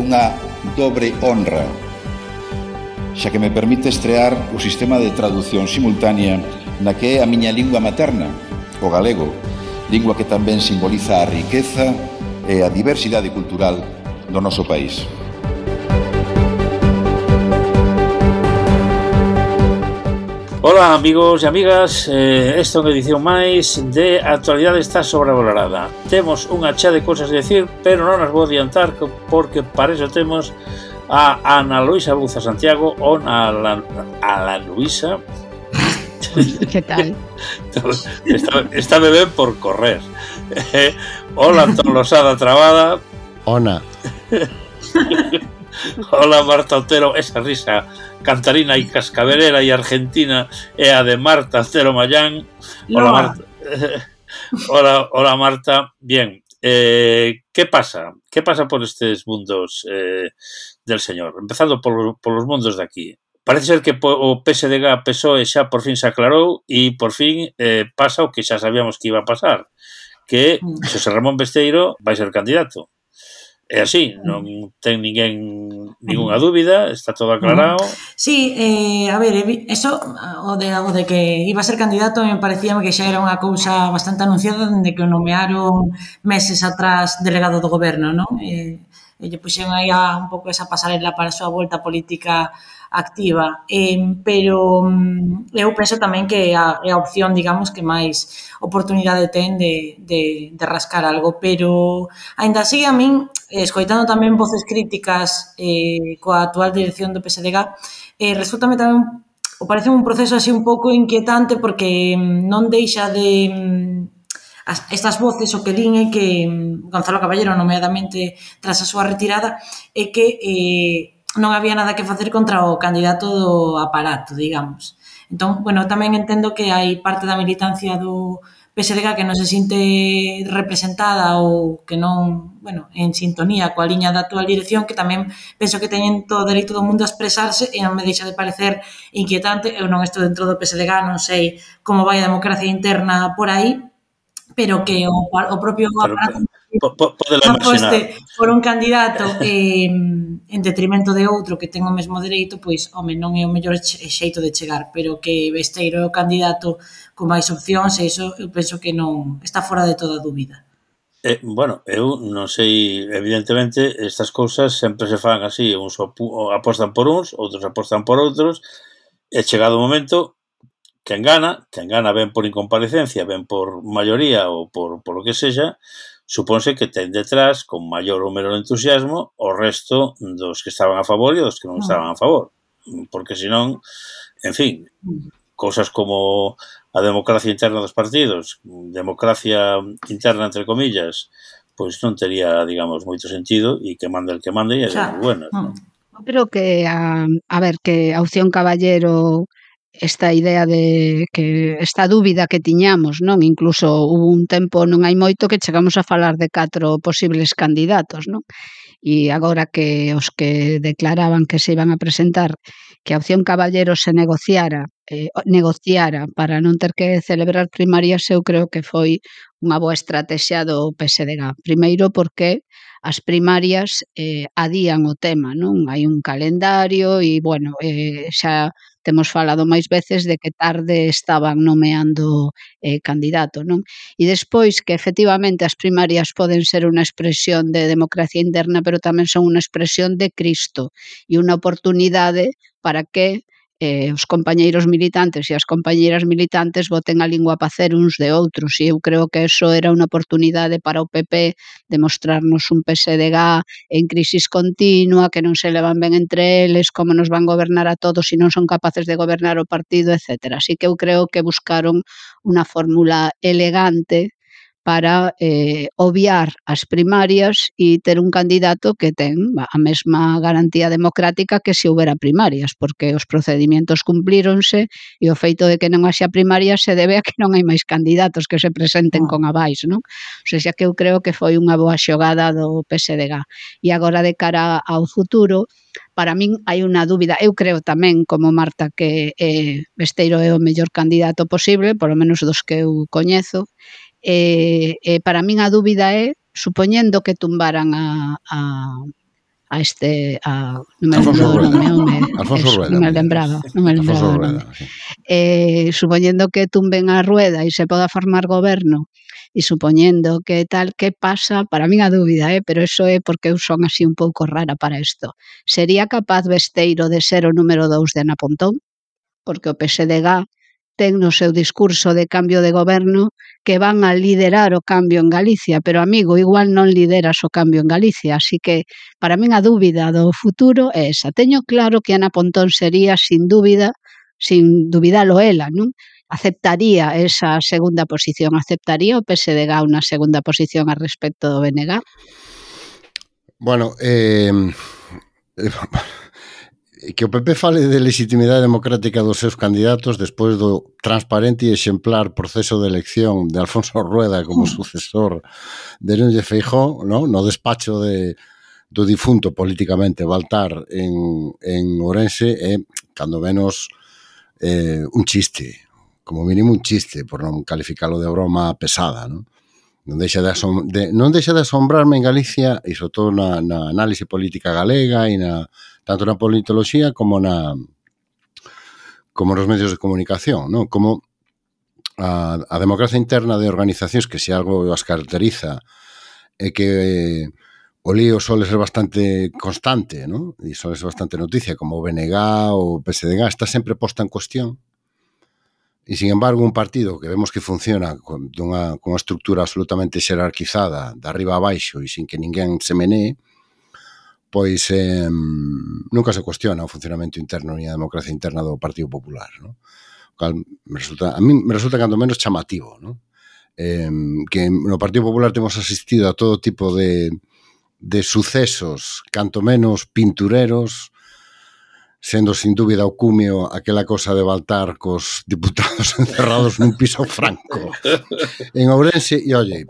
unha dobre honra, xa que me permite estrear o sistema de traducción simultánea na que é a miña lingua materna, o galego, lingua que tamén simboliza a riqueza e a diversidade cultural do noso país. Ola amigos e amigas, esta é unha edición máis de Actualidade está sobrevalorada. Temos unha chea de cosas a decir, pero non as vou adiantar porque para iso temos a Ana Luisa Buza Santiago ou a la Luisa. Que tal? Está ben por correr. Hola Antón Losada Trabada. Ona. Hola Marta Otero, esa risa cantarina e cascabelera e argentina é a de Marta Otero Mayán. Hola Marta. Hola Marta. Bien, ¿qué pasa? ¿Qué pasa por estes mundos del señor? Empezando por los mundos de aquí. Parece ser que o PSDG PSOE xa por fin se aclarou e por fin pasa o que xa sabíamos que iba a pasar, que Xosé Ramón Besteiro vai ser candidato. É así, non ten ningunha dúbida, está todo aclarado. Sí, a ver, eso, o de que iba a ser candidato, me parecía que xa era unha cousa bastante anunciada dende que o nomearon meses atrás delegado do goberno, non? E lle puxeron aí un pouco esa pasarela para a súa volta política activa, pero eu penso tamén que é a opción, digamos, que máis oportunidade ten de rascar algo, pero aínda así a min, escoitando tamén voces críticas coa actual dirección do PSDG, resultame tamén, o parece un proceso así un pouco inquietante porque non deixa de... Estas voces o que din é que Gonzalo Caballero, nomeadamente tras a súa retirada, é que non había nada que facer contra o candidato do aparato, digamos. Entón, bueno, tamén entendo que hai parte da militancia do PSDG que non se sinte representada ou que non, bueno, en sintonía coa liña da actual dirección, que tamén penso que teñen todo o dereito do mundo a expresarse e non me deixa de parecer inquietante. Eu non estou dentro do PSDG, non sei como vai a democracia interna por aí, pero que o propio aparato aposte por un candidato en detrimento de outro que ten o mesmo dereito, pois, home, non é o mellor xeito de chegar, pero que Besteiro é o candidato con máis opcións, e iso eu penso que non está fora de toda dúbida. Bueno, eu non sei, evidentemente, estas cousas sempre se fan así, uns apostan por uns, outros apostan por outros, e chegado o momento... Quen gana ben por incomparecencia, ben por maioría ou por lo que sexa, supónse que ten detrás, con maior ou menor entusiasmo, o resto dos que estaban a favor e dos que non estaban a favor. Porque senón, en fin, cousas como a democracia interna dos partidos, democracia interna entre comillas, pois non tería, digamos, moito sentido e que mande el que mande e é bueno. Creo que, a ver, que a opción Caballero... esta idea de que esta dúbida que tiñamos, non? Incluso hubo un tempo, non hai moito, que chegamos a falar de 4 posibles candidatos, non? E agora que os que declaraban que se iban a presentar, que a opción Caballero se negociara para non ter que celebrar primarias, eu creo que foi unha boa estrategia do PSDG. Primeiro porque as primarias adían o tema, non? Hai un calendario e, bueno, xa temos falado máis veces de que tarde estaban nomeando candidato, non? E despois que efectivamente as primarias poden ser unha expresión de democracia interna, pero tamén son unha expresión de Cristo e unha oportunidade para que os compañeiros militantes e as compañeiras militantes boten a lingua a pacer uns de outros, e eu creo que eso era unha oportunidade para o PP de mostrarnos un PSDG en crisis continua, que non se levan ben entre eles, como nos van gobernar a todos se non son capaces de gobernar o partido, etc. Así que eu creo que buscaron unha fórmula elegante para obviar as primarias e ter un candidato que ten a mesma garantía democrática que se houbera primarias, porque os procedimentos cumplíronse e o feito de que non haxa primarias se debe a que non hai máis candidatos que se presenten con avais, non? O sea, que eu creo que foi unha boa xogada do PSDG. E agora, de cara ao futuro, para min hai unha dúbida. Eu creo tamén, como Marta, que Besteiro é o mellor candidato posible, polo menos dos que eu coñezo. Para min a dúbida é, supoñendo que tumbaran a non me lembro do nome, Alfonso Rueda. non me lembraba Alfonso do Rueda, nome. sí. Supoñendo que tumben a Rueda e se poda formar goberno, e supoñendo que tal, que pasa, para min a dúbida, pero eso é porque eu son así un pouco rara para isto. Sería capaz Besteiro de ser o número 2 de Ana Pontón? Porque o PSDG ten no seu discurso de cambio de goberno que van a liderar o cambio en Galicia, pero amigo, igual non lideras o cambio en Galicia, así que para min a dúbida do futuro é esa. Teño claro que Ana Pontón sería sin dubidalo ela, non? Aceptaría esa segunda posición, aceptaría o PSDG unha segunda posición a respecto do BNG? Bueno, que o PP fale de legitimidade democrática dos seus candidatos despois do transparente e exemplar proceso de elección de Alfonso Rueda como sucesor de Núñez Feijóo, no despacho do difunto políticamente Baltar en Ourense é, cando menos, un chiste, como mínimo un chiste, por non calificalo de broma pesada, non? Non deixa de asombrarme en Galicia, e sobre todo na análise política galega e tanto na politoloxía como nos medios de comunicación, non? Como a democracia interna de organizacións que se algo as caracteriza é que o lío suele ser bastante constante, non? E suele ser bastante noticia, como o BNG ou o PSDG, está sempre posta en cuestión. E, sin embargo, un partido que vemos que funciona con unha estructura absolutamente xerarquizada de arriba a baixo e sin que ninguén se menee, pois nunca se cuestiona o funcionamento interno ni a democracia interna do Partido Popular, non? A mí me resulta cando menos chamativo, non? Que no Partido Popular temos asistido a todo tipo de sucesos, canto menos pintureros, sendo sin dúbida o cumio aquela cosa de Baltar cos diputados encerrados nun piso franco en Ourense. E oye,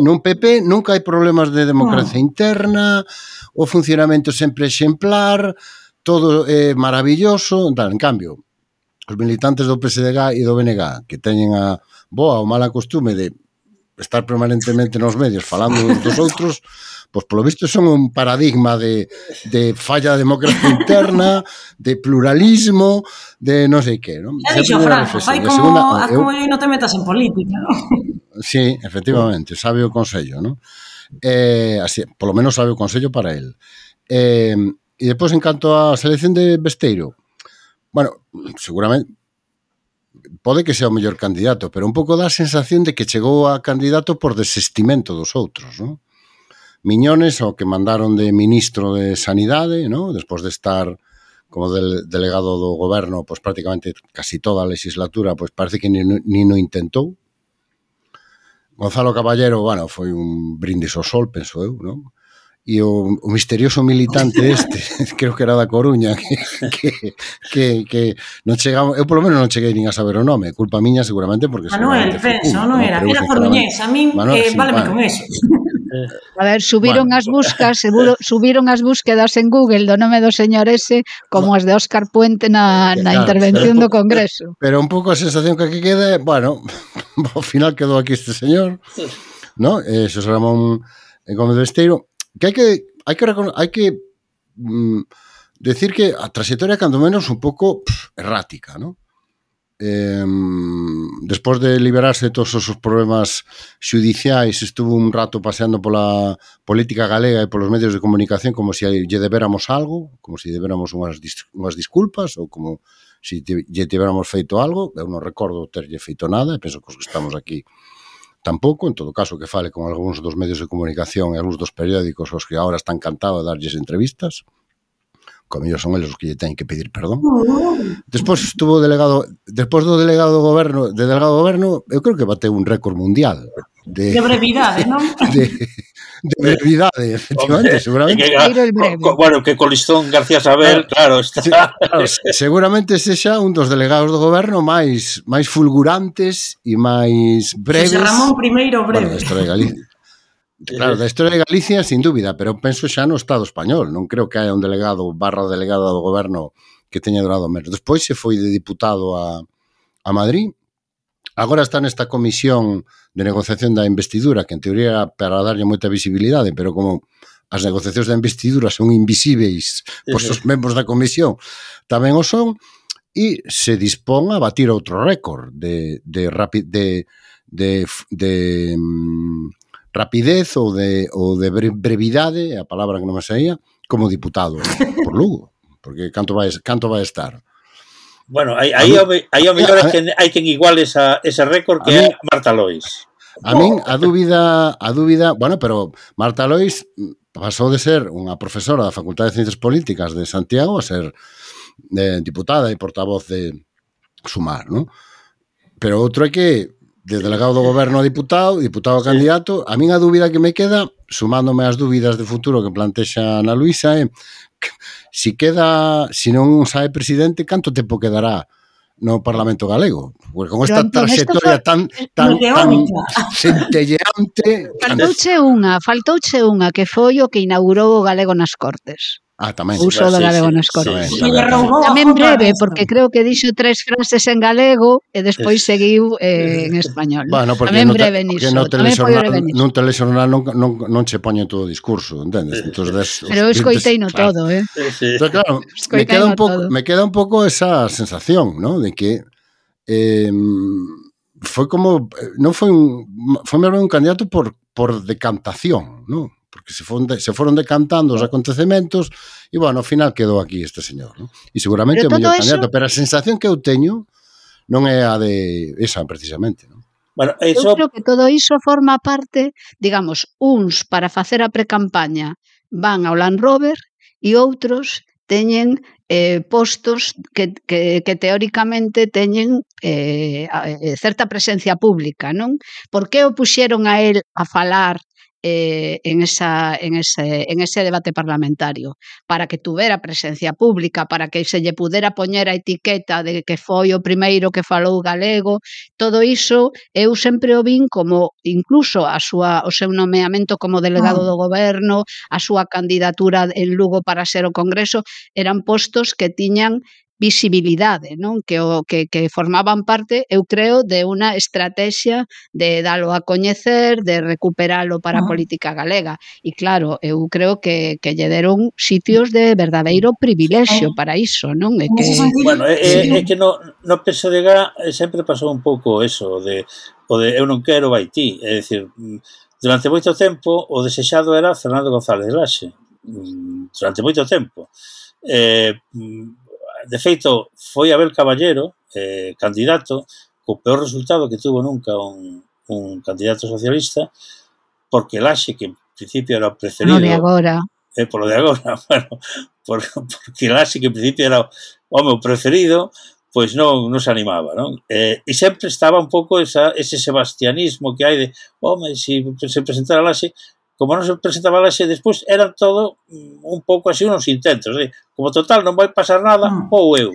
nun PP nunca hai problemas de democracia interna, o funcionamento sempre exemplar, todo é maravilloso. En cambio, os militantes do PSDG e do BNG, que teñen a boa ou mala costume de estar permanentemente nos medios falando dos outros, pois polo visto son un paradigma de falla de democracia interna, de pluralismo, de non sei que, non? Xa dixo Franco, fai como non te metas en política, non? Sí, efectivamente, sabe o consello, non? Así, polo menos sabe o consello para el. E depois, en canto á selección de Besteiro, bueno, seguramente pode que sea o mellor candidato, pero un pouco dá a sensación de que chegou a candidato por desestimento dos outros, non? Miñones, o que mandaron de ministro de Sanidade, ¿no? Despois de estar como delegado do goberno, pues prácticamente casi toda a legislatura, pues parece que ni no intentou. Gonzalo Caballero, bueno, foi un brindis ao sol, penso eu, ¿no? E o misterioso militante creo que era da Coruña, que non chegamos, eu polo menos non cheguei nin a saber o nome, culpa miña seguramente porque Manuel, penso, non era coruñés, a min váleme con eso. A ver, subiron as búsquedas en Google do nome do señor ese como as de Óscar Puente na intervención do Congreso. Pero un pouco a sensación que aquí queda, bueno, ao final quedou aquí este señor, ¿no? Xosé Ramón Gómez Besteiro, que hai que decir que a trayectoria cando menos un pouco errática, ¿no? Despois de liberarse de todos os problemas xudiciais, estuvo un rato paseando pola política galega e polos medios de comunicación como se lle debéramos algo, como se debéramos unhas disculpas ou como se lle tiveramos feito algo. Eu non recordo terlle feito nada e penso que os que estamos aquí tampouco. En todo caso, que fale con algúns dos medios de comunicación e algúns dos periódicos os que agora están cantados a darlles entrevistas. Como mellor son eles os que lle teñen que pedir perdón. Despois estuvo delegado, despois do delegado do goberno, eu creo que bateu un récord mundial de brevidade, non? De brevidade, efectivamente, seguramente. Bueno, que Colistón García Sabel, claro, está. Claro, seguramente sexa un dos delegados do goberno máis fulgurantes e máis breves. Xosé Ramón I breve. Bueno, da historia de Galicia. Claro, da historia de Galicia, sin dúbida, pero penso xa no Estado español. Non creo que haya un delegado /delegada do goberno que teña durado menos. Despois se foi de diputado a Madrid. Agora está nesta comisión de negociación da investidura, que en teoría era para darlle moita visibilidade, pero como as negociacións de investidura son invisíveis pois os membros da comisión tamén o son, e se dispón a batir outro récord de rapidez ou de brevidade, a palabra que non me saía, como diputado por Lugo, porque canto vai estar. Bueno, aí o mellor hai quen iguale ese récord que é Marta Lois. A min a dúbida, bueno, pero Marta Lois pasou de ser unha profesora da Facultade de Ciencias Políticas de Santiago a ser diputada e portavoz de Sumar, non? Pero outro é que de delegado do goberno a diputado a candidato, a min a dúbida que me queda, sumándome ás dúbidas de futuro que plantexa Ana Luisa, é se non sae presidente, canto tempo quedará no Parlamento galego? Porque con esta traxectoria tan centelleante... Faltouche unha que foi o que inaugurou o galego nas Cortes. Tamén. O uso do galego nas Cortes. Tamén breve, porque creo que dixo 3 frases en galego e despois seguiu en español. Bueno, tamén breve niso. Nun telexornal non che poñen todo o discurso, entendes? Pero escoitei no todo, Entón, claro, me queda un pouco esa sensación, ¿no? De que foi como... non foi un candidato por decantación, ¿no? Porque se foron decantando os acontecementos e, bueno, ao final quedou aquí este señor, ¿no? E seguramente é o mellor candidato, pero a sensación que eu teño non é a de esa, precisamente, ¿no? Bueno, eu creo que todo iso forma parte, digamos, uns para facer a precampaña van ao Land Rover e outros teñen postos que teóricamente teñen certa presencia pública, non? Por que o puxeron a él a falar en ese debate parlamentario? Para que tuvera presencia pública, para que se lle pudera poñer a etiqueta de que foi o primeiro que falou galego. Todo iso eu sempre o vin como incluso o seu nomeamento como delegado do goberno, a súa candidatura en Lugo para ser o Congreso, eran postos que tiñan visibilidade, non? Que formaban parte, eu creo, de unha estrategia de dalo a coñecer, de recuperalo para a política galega. E claro, eu creo que lle deron sitios de verdadeiro privilexio para iso, non? Bueno, é que no PSDG sempre pasou un pouco eso, de eu non quero vai ti, é dicir, durante moito tempo o desexado era Fernando González de Laxe, durante moito tempo. De feito, foi Abel Caballero, candidato, co peor resultado que tuvo nunca un candidato socialista, porque Laxe, que en principio era o preferido... Por lo de agora, bueno, porque Laxe, que en principio era o meu preferido, pois non se animaba, non? E sempre estaba un pouco ese sebastianismo que hai de, se presentara Laxe, como non se presentaba Laxe despois, eran todo un pouco así unos intentos, como total non vai pasar nada, ou eu,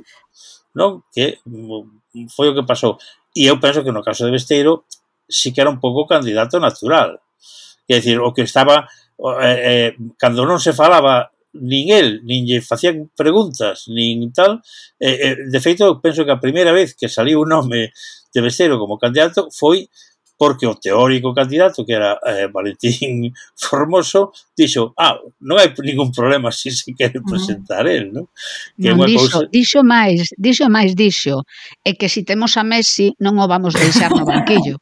non? Que foi o que pasou. E eu penso que no caso de Besteiro sí que era un pouco candidato natural. É dicir, o que estaba, cando non se falaba nin el, nin lle facían preguntas, nin tal, de feito, eu penso que a primeira vez que saliu o nome de Besteiro como candidato foi porque o teórico candidato, que era Valentín Formoso, dixo, non hai ningún problema se quere presentar el, non? Dixo máis, é que se temos a Messi non o vamos deixar no banquillo.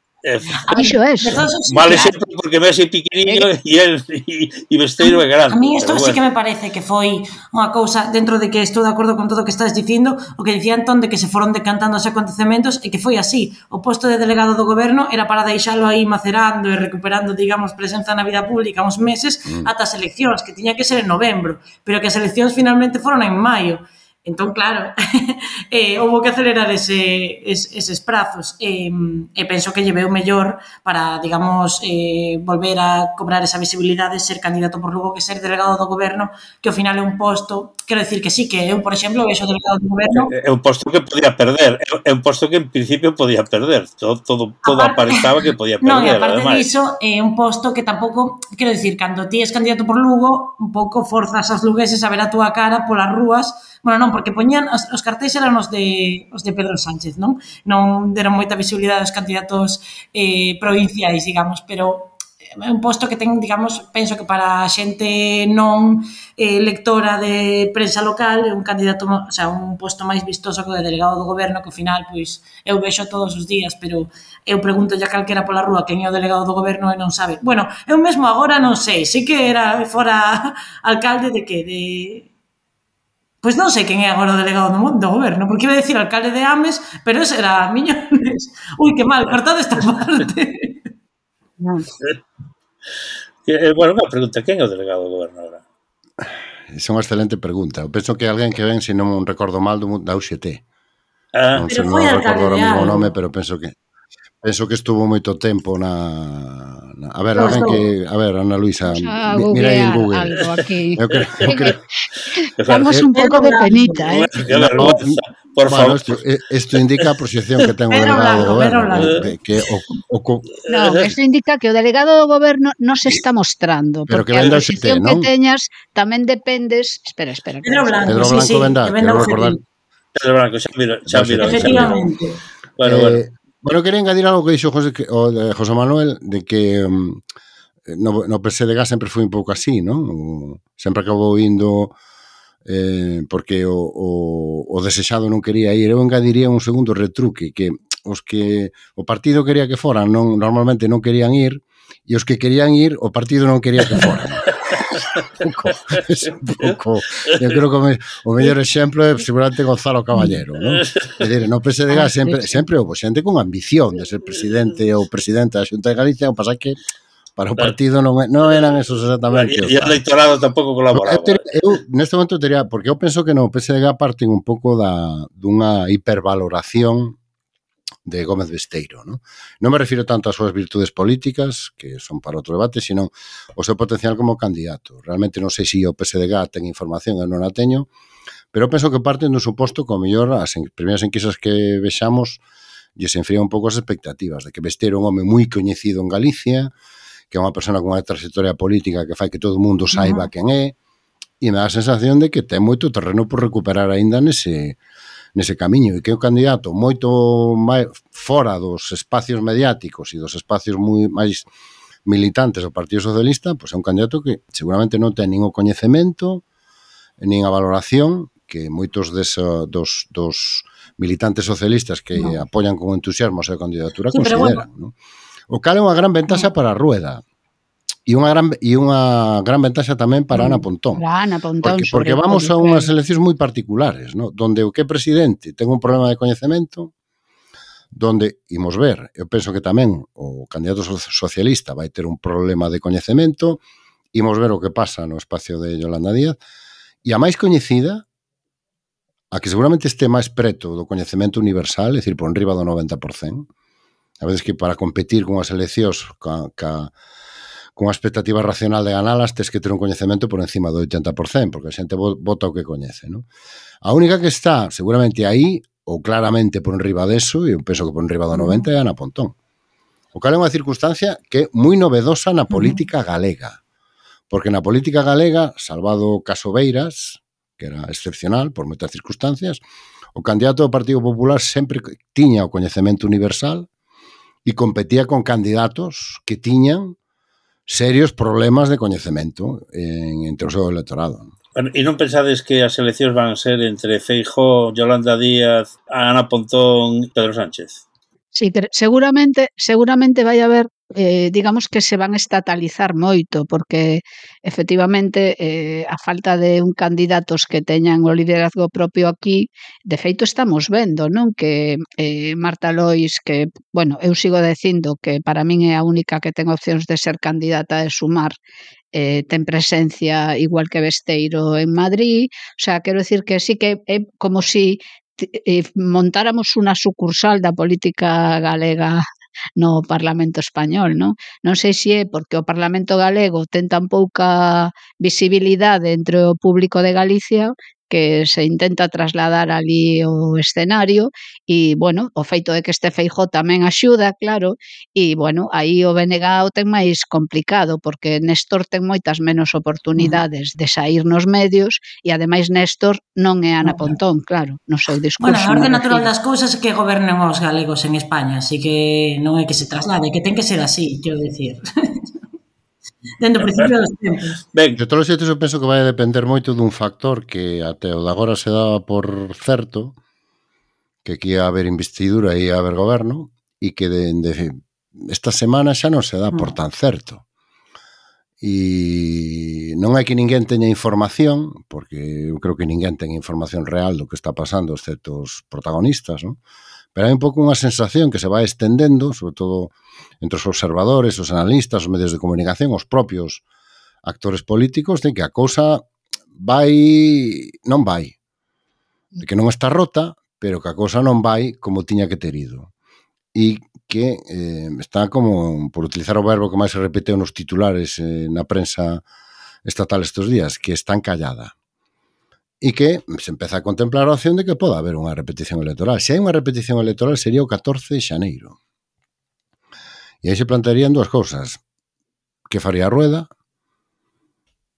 Dixo eso. Vale sempre porque Messi é pequeniño e Besteiro é grande. A mí isto sí que me parece que foi unha cousa, dentro de que estou de acordo con todo o que estás dicindo, o que dicía Antón de que se foron decantando os acontecementos e que foi así. O posto de delegado do goberno era para deixalo aí macerando e recuperando, digamos, presenza na vida pública uns meses ata as eleccións, que tiña que ser en novembro, pero que as eleccións finalmente foron en maio. Entón, claro, houve que acelerar eses prazos e penso que lle veu mellor para, digamos, volver a cobrar esa visibilidade, ser candidato por Lugo que ser delegado do goberno, que ao final é un posto, quero dicir que sí, que eu, por exemplo, vexo delegado do goberno... É un posto que podía perder, é un posto que en principio podía perder, todo aparentaba que podía perder. Non, e aparte diso, é un posto que tampouco, quero dicir, cando ti és candidato por Lugo, un pouco forzas aos lugueses a ver a túa cara polas rúas. Bueno, non, porque poñían, os cartéis eran os de Pedro Sánchez, non? Non deron moita visibilidade aos candidatos provinciais, digamos, pero é un posto que ten, digamos, penso que para a xente non lectora de prensa local é un candidato, o sea, un posto máis vistoso que o de delegado do goberno, que ao final, pois, eu vexo todos os días, pero eu pregunto a calquera pola rúa quen é o delegado do goberno e non sabe. Bueno, eu mesmo agora non sei, sei que era fora alcalde de que, de... Pois non sei quen é agora o delegado do goberno, porque iba a decir alcalde de Ames, pero ese era Miñones. Ui, que mal, cortado esta parte. Bueno, unha pregunta, quen é o delegado do goberno agora? Esa é unha excelente pregunta. Eu penso que alguén que ven, se non recordo mal, da UGT. Non sei, non recordo o mesmo nome, pero penso que estuvo moito tempo na... A ver, alguén que... A ver, Ana Luisa, mira aí en Google. Algo aquí. Eu creo... Estamos un pouco de penita, Por favor. Isto indica a proxección que ten o delegado do goberno. Non, isto indica que o delegado do goberno non se está mostrando. Pero que porque venda a posición que teñas tamén dependes... Espera. Pedro Blanco, sí, venda, quero recordar. Pedro Blanco, xa miro. Efectivamente. Bueno, quería engadir algo que dixo José Manuel, de que no PSDG sempre foi un pouco así, non? Sempre acabou indo porque o desexado non quería ir. Eu engadiría un segundo retruque, que os que o partido quería que foran normalmente non querían ir, e os que querían ir, o partido non quería que foran. Un pouco. Eu creo que o mellor exemplo é seguramente Gonzalo Caballero, non? É dicir, no PSDG sempre houve xente con ambición de ser presidente ou presidenta da Xunta de Galicia, o pasa que para o partido non eran esos exactamente. E o electorado tampouco colaboraba. Eu neste momento teria, porque eu penso que no PSDG parten un pouco dunha hipervaloración de Gómez Besteiro, non? Non me refiro tanto ás súas virtudes políticas, que son para outro debate, sino o seu potencial como candidato. Realmente non sei se o PSDG ten información, eu non a teño, pero penso que parten dun suposto que, ao mellor, as primeiras enquisas que vexamos lle se enfrían un pouco as expectativas de que Besteiro é un home moi coñecido en Galicia, que é unha persona con unha trayectoria política que fai que todo o mundo saiba quen é, e me dá a sensación de que ten moito terreno por recuperar aínda nese camiño, e que é un candidato moito máis fora dos espacios mediáticos e dos espacios moi máis militantes do Partido Socialista, pois é un candidato que seguramente non ten nin o coñecemento nin a valoración que moitos dos militantes socialistas que apoian con entusiasmo a súa candidatura consideran, non? O cal é unha gran ventaxa para a Rueda. E unha gran ventaxa tamén para Ana Pontón. Para Ana Pontón, porque vamos a unhas eleccións moi particulares, ¿no? Donde o que é presidente ten un problema de coñecemento, donde, imos ver, eu penso que tamén o candidato socialista vai ter un problema de coñecemento, imos ver o que pasa no espacio de Yolanda Díaz, e a máis coñecida, a que seguramente este máis preto do coñecemento universal, é dicir, por enriba do 90%, a veces que para competir con as eleccións con a expectativa racional de ganalas, tes que ter un coñecemento por encima do 80%, porque a xente vota o que coñece, non? A única que está seguramente aí, ou claramente por enriba deso, e eu penso que por enriba do 90%, é Ana Pontón. O cal é unha circunstancia que é moi novedosa na política galega, porque na política galega, salvado o caso Beiras, que era excepcional por moitas circunstancias, o candidato do Partido Popular sempre tiña o coñecemento universal e competía con candidatos que tiñan serios problemas de coñecemento entre o seu electorado. Bueno, e non pensades que as eleccións van ser entre Feijóo, Yolanda Díaz, Ana Pontón, Pedro Sánchez? Sí, seguramente vai haber, digamos que se van estatalizar moito, porque efectivamente a falta de un candidatos que teñan o liderazgo propio aquí, de feito estamos vendo, non? Que Marta Lois, que, bueno, eu sigo dicindo que para min é a única que ten opcións de ser candidata de Sumar, ten presencia igual que Besteiro en Madrid, o sea, quero dicir que sí que é como si montáramos unha sucursal da política galega no Parlamento español, non? Non sei se é porque o Parlamento galego ten tan pouca visibilidade entre o público de Galicia que se intenta trasladar ali o escenario e, bueno, o feito de que este Feijóo tamén axuda, claro, e, bueno, aí o BNG o ten máis complicado porque Néstor ten moitas menos oportunidades de sair nos medios e, ademais, Néstor non é Ana Pontón, claro, no seu discurso. Bueno, a orde natural das cousas é que gobernen os galegos en España, así que non é que se traslade, que ten que ser así, quero dicir. dende o principio dos tempos. Ben, De todos os xeitos, eu penso que vai a depender moito dun factor que até o de agora se daba por certo, que aquí ia haber investidura e ia haber goberno, e que esta semana xa non se dá por tan certo. E non é que ninguén teña información, porque eu creo que ninguén ten información real do que está pasando, excepto os protagonistas, non? Pero hai un pouco unha sensación que se vai estendendo, sobre todo entre os observadores, os analistas, os medios de comunicación, os propios actores políticos, de que a cousa non vai. De que non está rota, pero que a cousa non vai como tiña que ter ido. E que está como, por utilizar o verbo que máis se repeteu nos titulares na prensa estatal estes días, que está encallada. E que se empeza a contemplar a opción de que poda haber unha repetición electoral. Se hai unha repetición electoral sería o 14 de xaneiro. E aí se plantearían dúas cousas. Que faría a Rueda?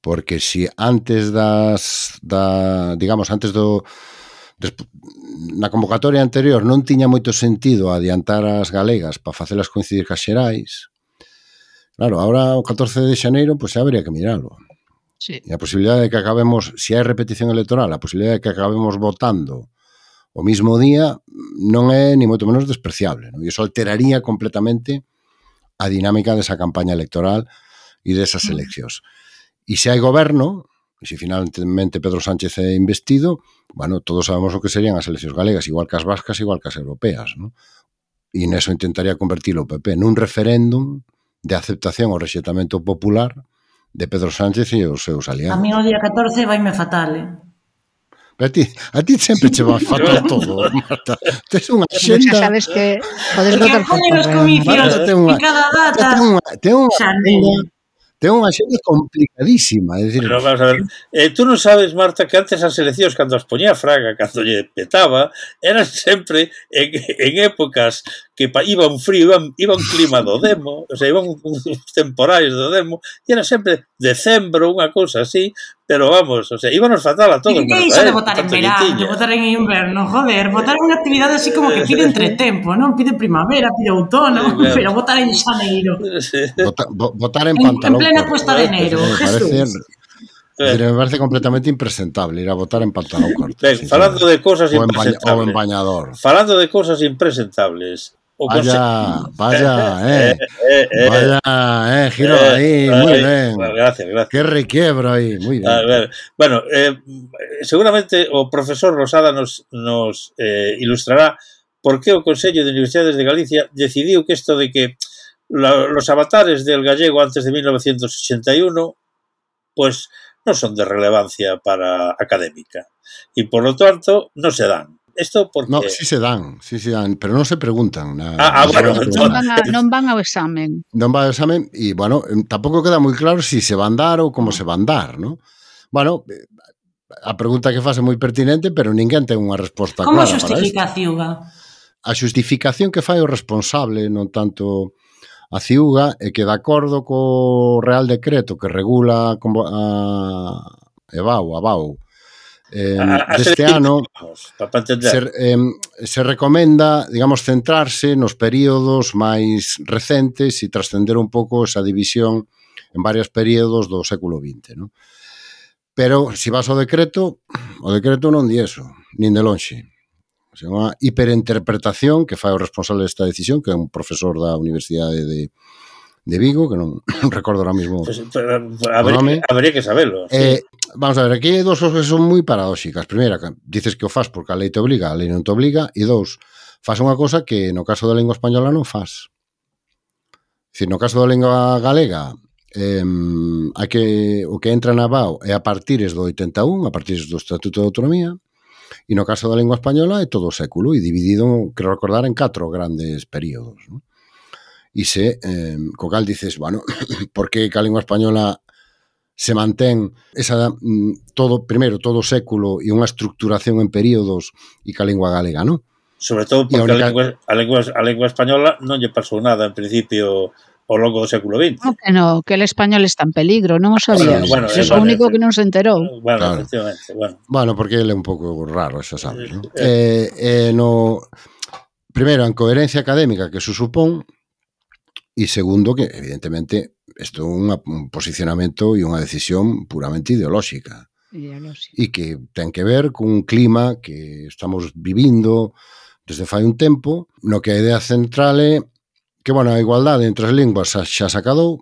Porque se antes na convocatoria anterior non tiña moito sentido adiantar as galegas para facelas coincidir cas xerais, claro, ahora o 14 de xaneiro pois xa habría que miralo. Sí. E a posibilidade de que acabemos, se hai repetición electoral, a posibilidade de que acabemos votando o mismo día non é ni moito menos despreciable, non? E iso alteraría completamente a dinámica desa campaña electoral e desas eleccións. E se hai goberno, e se finalmente Pedro Sánchez é investido, bueno, todos sabemos o que serían as eleccións galegas, igual que as vascas, igual que as europeas, non? E neso intentaría convertirlo o PP nun referéndum de aceptación ao rexeitamento popular de Pedro Sánchez e os seus aliados. A mí o día 14 vaime fatal, A ti sempre che va fatal todo, Marta. Tes unha xenda... Xa sabes que podes votar por ponen os comicios en cada data. Ten unha xenda complicadísima. É dicir, pero vamos a ver, tú non sabes, Marta, que antes as eleccións, cando as poñía Fraga, cando lle petaba, eran sempre en épocas que iba un frío, iba un clima do demo, o sea, iban uns temporais do demo, e era sempre decembro, unha cousa así, pero vamos, o sea, íbanos fatal a todos. E que iso de votar en verano, de votar en inverno, joder, votar é unha actividade así como que pide entretempo, non? Pide primavera, pide outono, claro. Pero votar en xaneiro. Sí. Votar en pantalón. En plena puesta de enero, Jesús. Me parece completamente impresentable ir a votar en pantalón corto. Ben, falando de cosas impresentables. O en bañador. Falando de cosas impresentables. Vaya, giro ahí, muy bien. Bueno, gracias. Qué requiebro ahí, muy bien. A ver, bueno, seguramente o profesor Rosada nos ilustrará por qué o Consello de Universidades de Galicia decidiu que esto de que los avatares del gallego antes de 1981 pues no son de relevancia para académica y por lo tanto no se dan. Esto porque... No, sí se dan, pero non se preguntan. Bueno, non van ao examen. Non van ao examen e, bueno, tampouco queda moi claro si se van dar ou como se van dar, non? Bueno, a pregunta que faz é moi pertinente, pero ninguén ten unha resposta clara para isto. Como xustifica a Ciuga? A xustificación que fai o responsable, non tanto a Ciuga, é que de acordo co Real Decreto que regula a BAU, deste ano se recomenda, digamos, centrarse nos períodos máis recentes e trascender un pouco esa división en varios períodos do século XX, non? Pero, se vas ao decreto, o decreto non di eso, nin de lonxe. O sea, unha hiperinterpretación que fai o responsable desta decisión, que é un profesor da Universidade de Vigo, que non recordo ahora mismo pues, habría que saberlo. Sí. Vamos a ver, aquí hai dous cosas que son moi paradóxicas. Primeira, dices que o fas porque a lei te obliga, a lei non te obliga, e dous, fas unha cosa que no caso da lingua española non fas. No caso da lingua galega, o que entra na BAU é a partires do 81, a partires do Estatuto de Autonomía, e no caso da lingua española é todo o século, e dividido, quero recordar, en 4 grandes períodos, non? E se, co cal dices, bueno, por que a lingua española se mantén primeiro todo o século e unha estructuración en períodos e que a lingua galega, non? Sobre todo porque a lingua española non lle pasou nada, en principio, ao longo do século XX. No, que el español está en peligro, non o sabías. Bueno, é o único que non se enterou. Bueno, claro. Efectivamente, bueno, porque ele é un pouco raro, xa sabes, non? Primeiro, en coherencia académica que se supón, E segundo, que evidentemente isto é un posicionamento e unha decisión puramente ideolóxica. E que ten que ver cun clima que estamos vivindo desde fai un tempo, no que a idea central é que, bueno, a igualdade entre as linguas xa se acadou,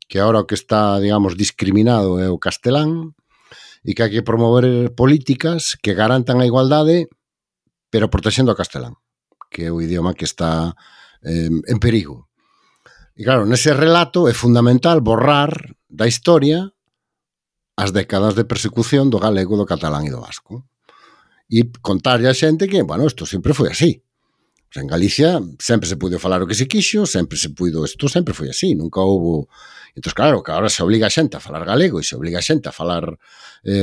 que agora o que está, digamos, discriminado é o castelán, e que hai que promover políticas que garantan a igualdade, pero protexendo o castelán, que é o idioma que está en perigo. E claro, nese relato é fundamental borrar da historia as décadas de persecución do galego, do catalán e do vasco. E contarlle a xente que, bueno, isto sempre foi así. O sea, en Galicia sempre se puido falar o que se quixo, sempre se puido, isto sempre foi así, nunca houve... Entón, claro, que agora se obliga a xente a falar galego e se obliga a xente a falar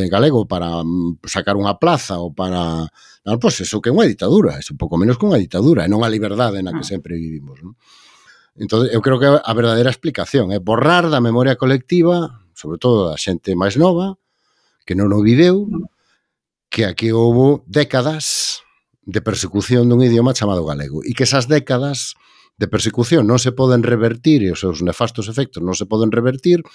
galego para sacar unha plaza ou para... Non, pois eso que é unha ditadura, é un pouco menos que unha ditadura, e non a liberdade na que sempre vivimos, non? Entón, eu creo que a verdadeira explicación é borrar da memoria colectiva, sobre todo da xente máis nova, que non o viveu, que aquí houve décadas de persecución dun idioma chamado galego e que esas décadas de persecución non se poden revertir e os seus nefastos efectos non se poden revertir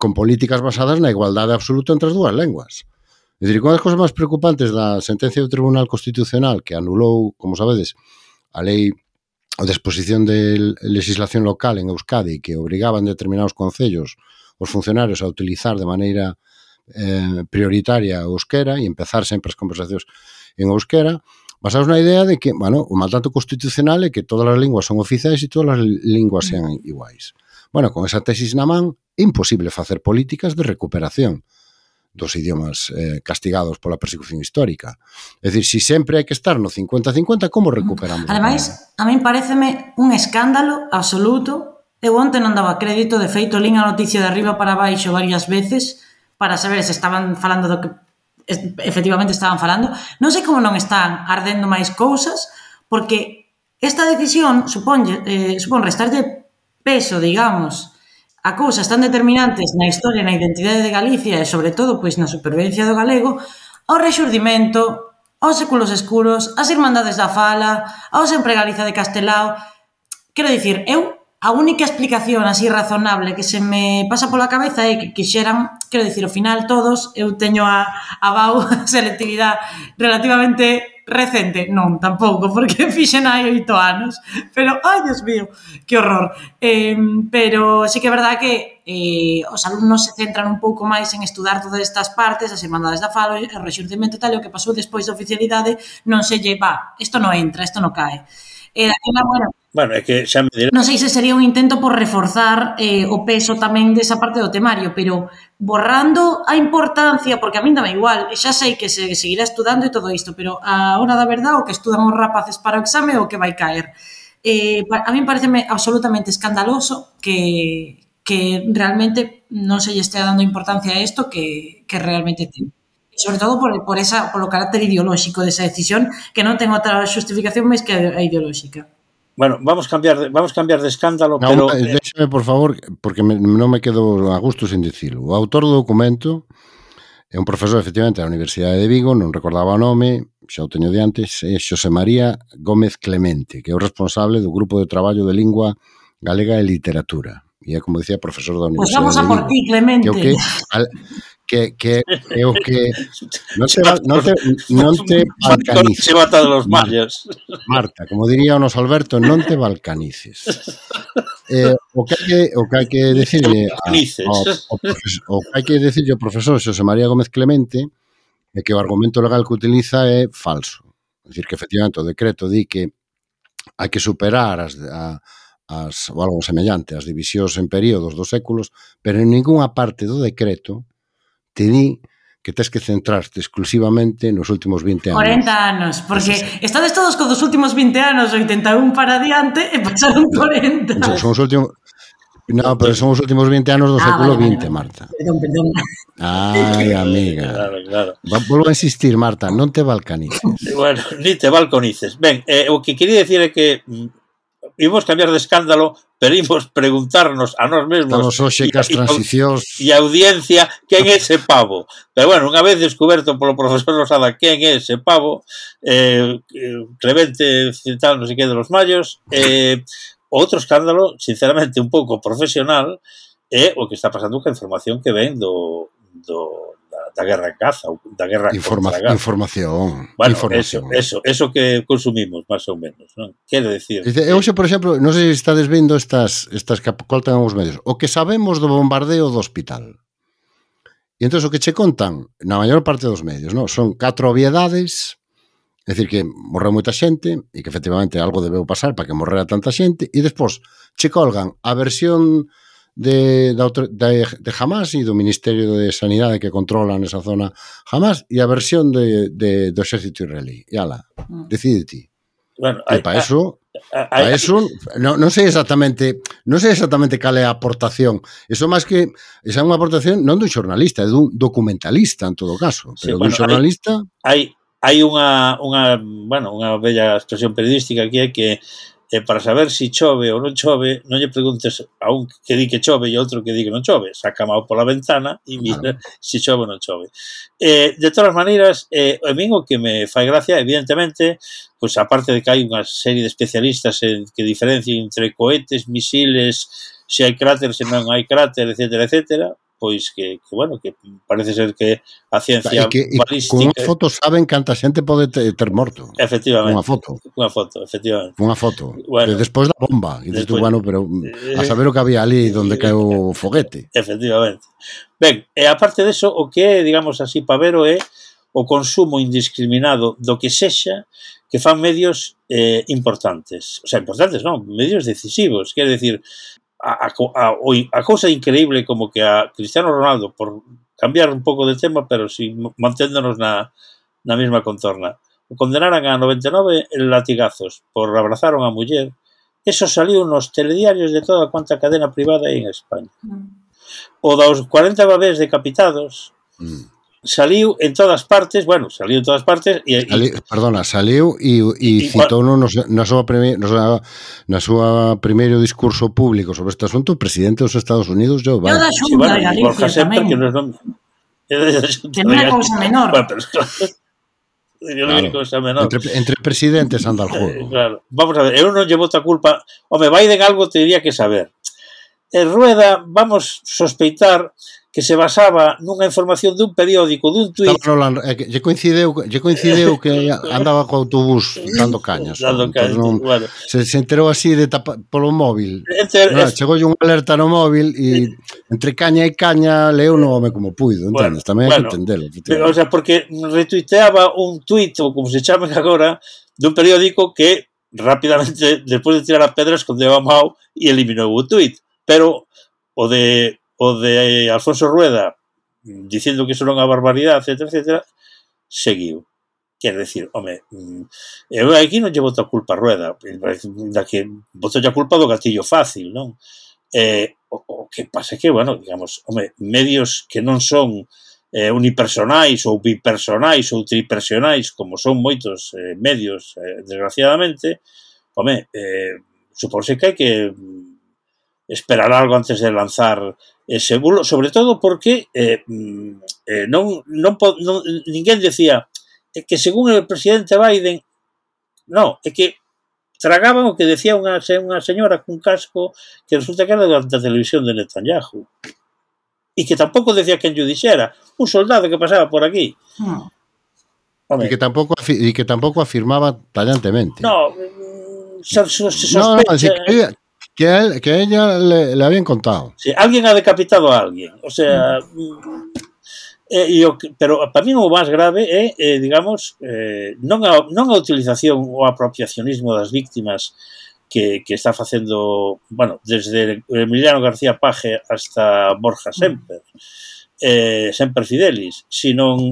con políticas basadas na igualdade absoluta entre as dúas lenguas. É dicir, unha das cousas máis preocupantes da sentencia do Tribunal Constitucional que anulou, como sabedes, a lei a disposición de legislación local en Euskadi que obrigaban determinados concellos os funcionarios a utilizar de maneira prioritaria o euskera e empezar sempre as conversacións en euskera, basados na idea de que, bueno, o mandato constitucional é que todas as linguas son oficiais e todas as linguas sean iguais. Bueno, con esa tesis na man, é imposible facer políticas de recuperación dos idiomas castigados pola persecución histórica. É dicir, se sempre hai que estar no 50-50, como recuperamos? Ademais, a min pareceme un escándalo absoluto. Eu onte non daba crédito, de feito, lín a noticia de arriba para baixo varias veces para saber se estaban falando do que efectivamente estaban falando. Non sei como non están ardendo máis cousas, porque esta decisión supón restarlle peso, digamos, a cousas tan determinantes na historia e na identidade de Galicia e, sobre todo, pois na supervivencia do galego, ao rexurdimento, aos séculos escuros, ás irmandades da fala, ao sempre Galiza de Castelao. Quero dicir, a única explicación así razonable que se me pasa pola cabeza é que quixeran, quero dicir, ao final todos, eu teño a BAU selectividade relativamente recente, non, tampouco, porque fixen hai 8 anos, pero, ai, Dios mío, que horror. Pero sí que é verdad que os alumnos se centran un pouco máis en estudar todas estas partes, as irmandades da fala, o rexurdimento tal, e o que pasou despois da oficialidade non se lle, isto non entra, isto non cae. Bueno, é que xa me diré... Non sei se sería un intento por reforzar o peso tamén desa parte do temario, pero borrando a importancia, porque a min dame igual, xa sei que se seguirá estudando e todo isto, pero a hora da verdade o que estudan os rapaces para o exame é o que vai caer. A min pareceme absolutamente escandaloso que realmente non se lle estea dando importancia a isto que realmente ten. Sobre todo polo carácter ideolóxico desa decisión, que non ten outra justificación máis que a ideolóxica. Bueno, vamos cambiar de escándalo, pero... Déxame, por favor, porque non me quedo a gusto sin dicilo. O autor do documento é un profesor, efectivamente, da Universidade de Vigo, non recordaba o nome, xa o teño de antes, é Xosé María Gómez Clemente, que é o responsable do grupo de traballo de lingua galega e literatura. E é, como dicía, profesor da Universidade de Vigo. Pois vamos a por ti, Clemente. Que é o que non te balcanices. Se bata de los mayas. Marta, como diría o noso Alberto, non te balcanices. O que hai que decirle ao profesor Xosé María Gómez Clemente é que o argumento legal que utiliza é falso. É dicir, que efectivamente o decreto di que hai que superar ou algo semellante as divisións en períodos dos séculos, pero en ningunha parte do decreto te di que tens que centrarte exclusivamente nos últimos 20 anos. 40 anos, porque estades todos con dos últimos 20 anos, 81 para adiante, e pasaron 40. Son os últimos... No, pero son os últimos 20 anos do século XX, Marta. Perdón. Ai, amiga. Claro. Volvo a insistir, Marta, non te balcanices. Bueno, ni te balconices. Ben, o que quería decir é que imos cambiar de escándalo, pero imos preguntarnos a nós mesmos estamos hoxe cas transicións e a audiencia quen é ese pavo. Pero bueno, unha vez descoberto polo profesor Losada quen é ese pavo, Clemente tal, non sei que de los mayos, Outro escándalo, sinceramente, un pouco profesional, é o que está pasando ca información que ven da guerra en Gaza, da guerra contra Gaza. Información. Bueno, información. eso que consumimos, máis ou menos, non? Quero decir... Hoxe, por exemplo, non sei se estades vendo estas que coltan os medios. O que sabemos do bombardeo do hospital. E entón o que che contan, na maior parte dos medios, non? Son 4 obviedades, é dicir que morreu moita xente e que efectivamente algo debeu pasar para que morrera tanta xente, e despois che colgan a versión de Hamas e do Ministerio de Sanidade que controlan esa zona Hamas e a versión do exército israelí. E ala, decide ti. Bueno, e para eso non sei exactamente cal é a aportación. Eso máis que esa é unha aportación non dun xornalista, é dun documentalista en todo caso, pero dun xornalista hai unha bella expresión periodística que é que para saber se chove ou non chove, non lle preguntes a un que di que chove e outro que di que non chove. Saca mao pola ventana e mira se chove ou non chove. De todas maneiras, a min o que me fai gracia, evidentemente, pois aparte de que hai unha serie de especialistas que diferencien entre cohetes, misiles, se hai cráter, se non hai cráter, etcétera, etcétera, pois que parece ser que a ciencia balística... Con unha foto saben canta xente pode ter morto. Efectivamente. Unha foto, efectivamente. Unha foto. Bueno, despois da bomba. E dices tú, bueno, pero a saber o que había ali onde caeu o foguete. Efectivamente. Ben, e aparte deso, o que é, digamos así, pavero é o consumo indiscriminado do que sexa que fan medios importantes. O sea, importantes non, medios decisivos. Quer decir... A cousa increíble como que a Cristiano Ronaldo, por cambiar un pouco de tema, pero si manténdonos na mesma contorna, o condenaran a 99 latigazos por abrazar a unha muller, eso saliu nos telediarios de toda cuanta cadena privada aí en España. O dos 40 bebés decapitados saliu en todas partes, e saliu e citou na súa primeiro discurso público sobre este asunto o presidente dos Estados Unidos, Joe Biden. E o da Xunta de Galicia tamén. Que non é cousa menor. Entre presidentes anda el juego. Claro. Vamos a ver, eu non lle boto a culpa. Home, Biden algo teria que saber. Rueda, vamos sospeitar que se basaba nunha información dun periódico, dun tuit... Lle coincideu que andaba co autobús dando cañas. Bueno. Se enterou así polo móvil. Chegou un alerta no móvil e entre caña e caña leu no home como puido, entendes? Tamén hai que entendelo. O sea, porque retuiteaba un tuit, ou como se chame agora, dun periódico que rapidamente, despois de tirar a pedra, escondeu a mão e eliminou o tuit. Pero o de Alfonso Rueda dicindo que eso non é unha barbaridade, etcétera, seguiu. Quer decir, home, eu aquí non lle boto a culpa a Rueda, da que boto a culpa do gatillo fácil, non? O que pasa é que, bueno, digamos, home, medios que non son unipersonais ou bipersonais ou tripersonais, como son moitos medios, desgraciadamente, home, supónse que hai que esperar algo antes de lanzar ese bulo, sobre todo porque ninguén decía que según el presidente Biden, no, é que tragaban o que decía unha señora cun casco que resulta que era da televisión de Netanyahu e que tampouco decía quen lle dixera, un soldado que pasaba por aquí. E que tampouco afirmaba tallantemente. No, se sospecha... Que a ella le habían contado. Sí, alguien ha decapitado a alguien. O sea, pero para mí o máis grave é, digamos, non a utilización ou apropiacionismo das víctimas que está facendo, bueno, desde Emiliano García Paje hasta Borja Semper, Semper Fidelis, sino o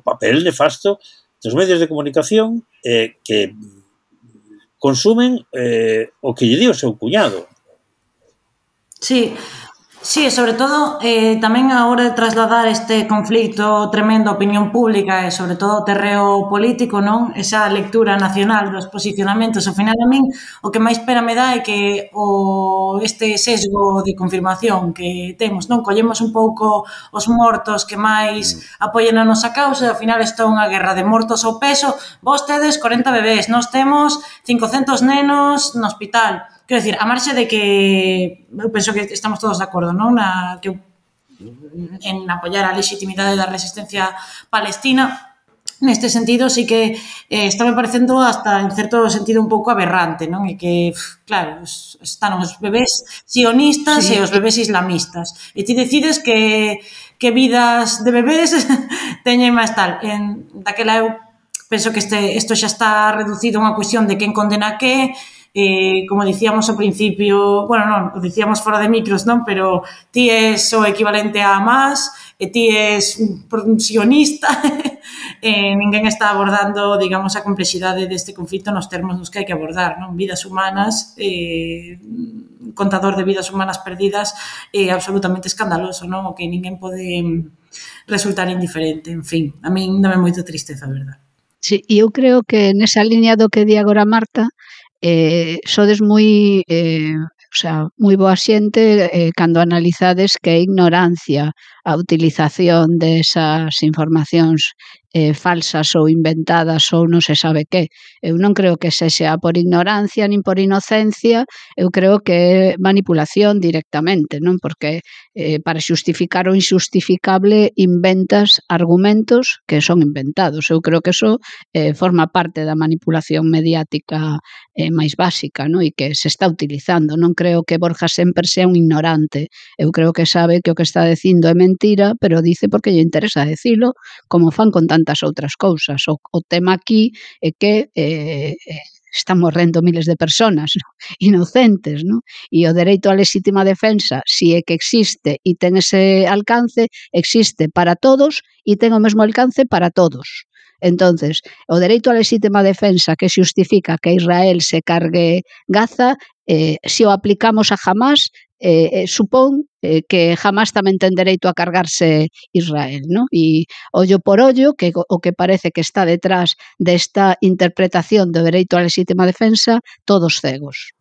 papel nefasto dos medios de comunicación que consumen o que lle di o seu cuñado. Sí, Sí, sobre todo tamén a hora de trasladar este conflito tremendo á opinión pública e sobre todo ao terreo político, non? Esa lectura nacional dos posicionamentos, ao final a min o que máis pena me dá é que este sesgo de confirmación que temos, non? Collemos un pouco os mortos que máis apoien a nosa causa e ao final isto é unha guerra de mortos ao peso. Vos tedes 40 bebés, nós temos 500 nenos no hospital. Quero dicir, a marxe de que eu penso que estamos todos de acordo, non? En apoiar a legitimidade da resistencia palestina, neste sentido sí que está me parecendo hasta en certo sentido un pouco aberrante, non? E que, claro, están os bebés sionistas e os bebés islamistas. E ti decides que vidas de bebés teñen máis tal. Daquela eu penso que isto xa está reducido a unha cuestión de quen condena que, como dicíamos ao principio, bueno, non, o dicíamos fora de micros, non? Pero ti és o equivalente a Hamas e ti és un sionista e ninguén está abordando, digamos, a complexidade deste conflito nos termos nos que hai que abordar, non? Vidas humanas, contador de vidas humanas perdidas é absolutamente escandaloso, non? O que ninguén pode resultar indiferente, en fin, a min dame moita tristeza, a verdade. Sí, e eu creo que nesa liña do que di agora Marta, sodes moi, moi boa xente cando analizades que é ignorancia a utilización desas informacións falsas ou inventadas ou non se sabe que. Eu non creo que sexa por ignorancia nin por inocencia, eu creo que é manipulación directamente, non? Porque para xustificar o injustificable inventas argumentos que son inventados. Eu creo que eso forma parte da manipulación mediática máis básica, non? E que se está utilizando. Non creo que Borja Semper sea un ignorante. Eu creo que sabe que o que está dicindo é mentira, pero dice porque lle interesa decilo, como fan con tantas outras cousas. O tema aquí é que están morrendo miles de personas, ¿no? Inocentes, ¿no? E o dereito á lexítima defensa, si é que existe e ten ese alcance, existe para todos e ten o mesmo alcance para todos. Entonces, o dereito á lexítima defensa que xustifica que Israel se cargue Gaza, se o aplicamos a Hamas, supón que Hamas tamén ten dereito a cargarse Israel, ¿no? E ollo por ollo, que o que parece que está detrás desta interpretación do dereito á lexítima defensa, todos cegos.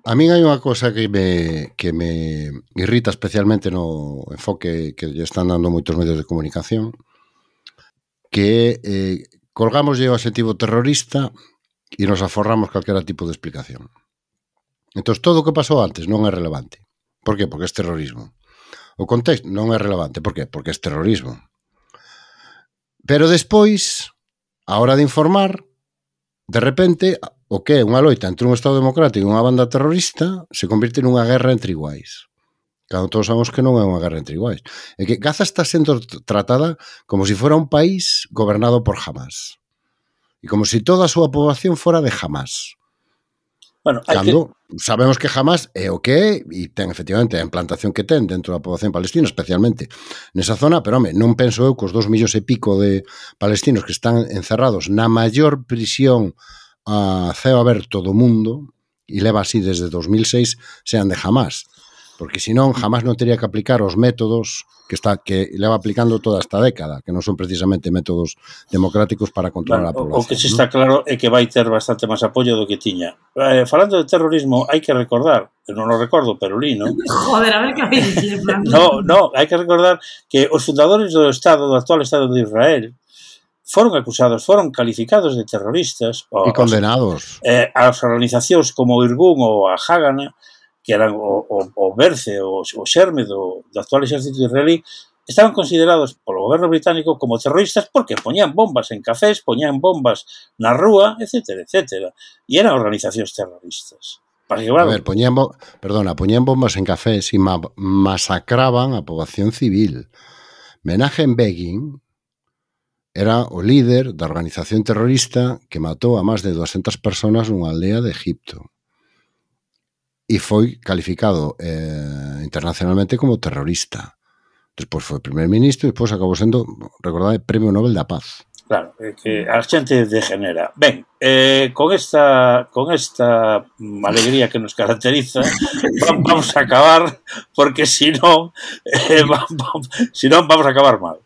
A min hai unha cosa que me irrita especialmente no enfoque que lle están dando moitos medios de comunicación, que colgamos o adxetivo terrorista e nos aforramos calquera tipo de explicación. Entón, todo o que pasou antes non é relevante. Por qué? Porque é terrorismo. O contexto non é relevante. Por qué? Porque é terrorismo. Pero despois, a hora de informar, de repente, o que é unha loita entre un Estado democrático e unha banda terrorista se convirte nunha guerra entre iguais. Cando todos sabemos que non é unha guerra entre iguais. É que Gaza está sendo tratada como se fora un país gobernado por Hamas. E como se toda a súa poboación fora de Hamas. Bueno, cando sabemos que Hamas é o que é e ten efectivamente a implantación que ten dentro da poboación palestina, especialmente nesa zona, pero home, non penso eu que os 2 millóns e pico de palestinos que están encerrados na maior prisión a ceo aberto do mundo, e leva así desde 2006, sean de Hamas. Porque senón jamás non teria que aplicar os métodos que leva aplicando toda esta década, que non son precisamente métodos democráticos para controlar a población. O que se está claro é que vai ter bastante máis apoio do que tiña. Falando de terrorismo, hai que recordar, eu non o recordo, pero li, non? Joder, a ver que vai dicir. No, hai que recordar que os fundadores do actual Estado de Israel, foron acusados, foron calificados de terroristas. E condenados. As organizacións como o Irgun ou a Hagana, que eran o berce, o xerme do actual exército israelí, estaban considerados polo goberno británico como terroristas porque poñían bombas en cafés, poñían bombas na rúa, etc. E eran organizacións terroristas. A ver, poñían bombas en cafés e masacraban a poboación civil. Menachem Begin era o líder da organización terrorista que matou a máis de 200 personas nunha aldea de Egipto. E foi calificado internacionalmente como terrorista. Despois foi primer ministro e despois acabou sendo, recordade, Premio Nobel da Paz. Claro, é que a xente degenera. Ben, con esta alegría que nos caracteriza, vamos a acabar, porque si non vamos a acabar mal.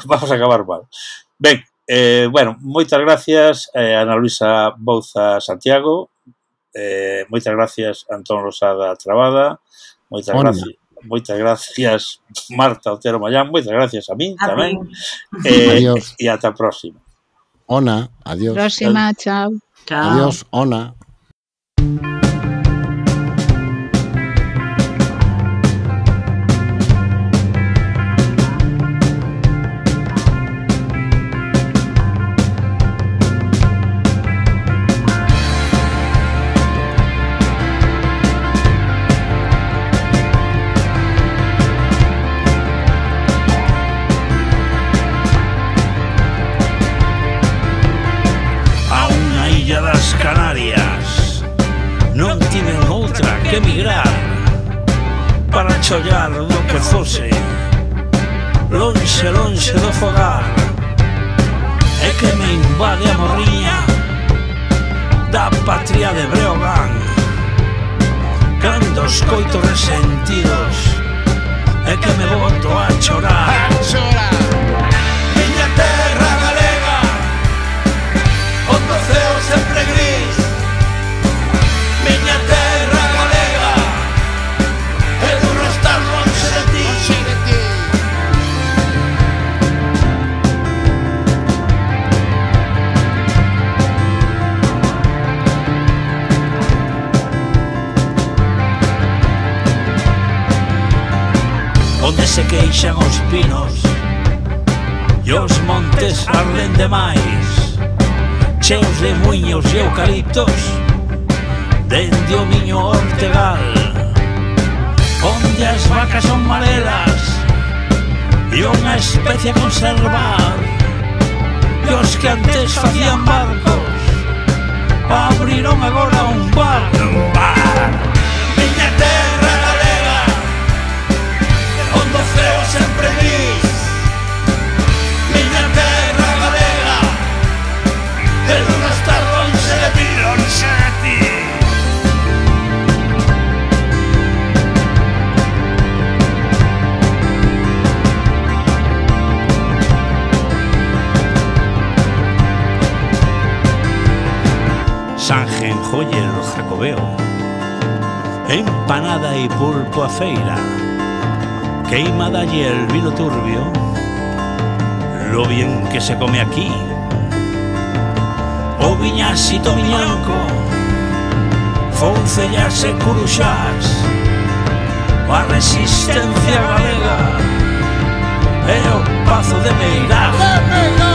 Vamos a acabar mal. Ben, bueno, moitas gracias Ana Luisa Bouza Santiago, moitas gracias Antón Rosada Trabada, moitas gracias Marta Otero Mayán, moitas gracias a min tamén. Adiós. E ata a próxima. Ona, adiós. Próxima, chao. Adiós, Ona. Que emigrar para chollar do que fose lonxe, lonxe do fogar, é que me invade a morriña da patria de Breogán, cando escoito resentidos é que me boto a chorar. Miña terra galega, onde o ceo sempre gris, miña terra onde se queixan os pinos e os montes arden demais, cheos de muiños e eucaliptos dende o miño Ortegal, onde as vacas son marelas e unha especie a conservar, e os que antes facían barcos abriron agora un bar. Miña terra galega, onde o ceo sempre gris, miña terra galega, de non estar lonxe de ti, lonxe de ti. Sanjenjoyer Jacobeo, empanada y pulpo a feira, queimada y el vino turbio, lo bien que se come aquí, o viñasito viñanco, foncellas e curuxás, a resistencia galega, e o pazo de Meirás.